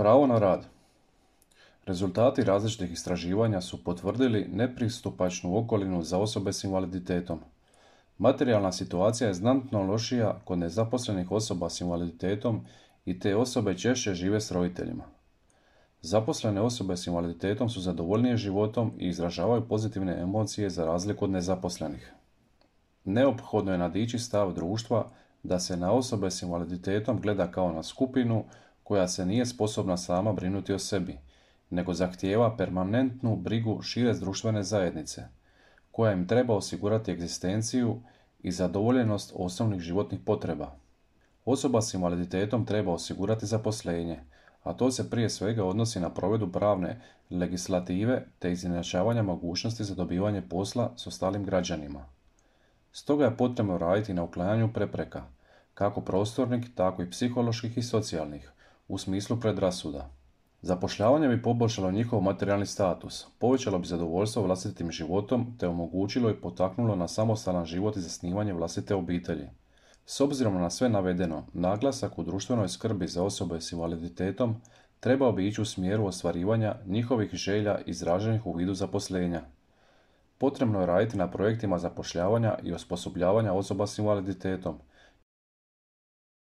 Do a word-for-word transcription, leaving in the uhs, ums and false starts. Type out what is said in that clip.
Pravo na rad. Rezultati različitih istraživanja su potvrdili nepristupačnu okolinu za osobe s invaliditetom. Materijalna situacija je znatno lošija kod nezaposlenih osoba s invaliditetom i te osobe češće žive s roditeljima. Zaposlene osobe s invaliditetom su zadovoljnije životom i izražavaju pozitivne emocije za razliku od nezaposlenih. Neophodno je nadići stav društva da se na osobe s invaliditetom gleda kao na skupinu koja se nije sposobna sama brinuti o sebi, nego zahtijeva permanentnu brigu šire društvene zajednice, koja im treba osigurati egzistenciju i zadovoljenost osnovnih životnih potreba. Osoba s invaliditetom treba osigurati zaposlenje, a to se prije svega odnosi na provedbu pravne legislative te izjednačavanja mogućnosti za dobivanje posla s ostalim građanima. Stoga je potrebno raditi na uklanjanju prepreka, kako prostornih, tako i psiholoških i socijalnih, u smislu predrasuda. Zapošljavanje bi poboljšalo njihov materijalni status, povećalo bi zadovoljstvo vlastitim životom te omogućilo i potaknulo na samostalan život i zasnivanje vlastite obitelji. S obzirom na sve navedeno, naglasak u društvenoj skrbi za osobe s invaliditetom trebao bi ići u smjeru ostvarivanja njihovih želja izraženih u vidu zaposlenja. Potrebno je raditi na projektima zapošljavanja i osposobljavanja osoba s invaliditetom,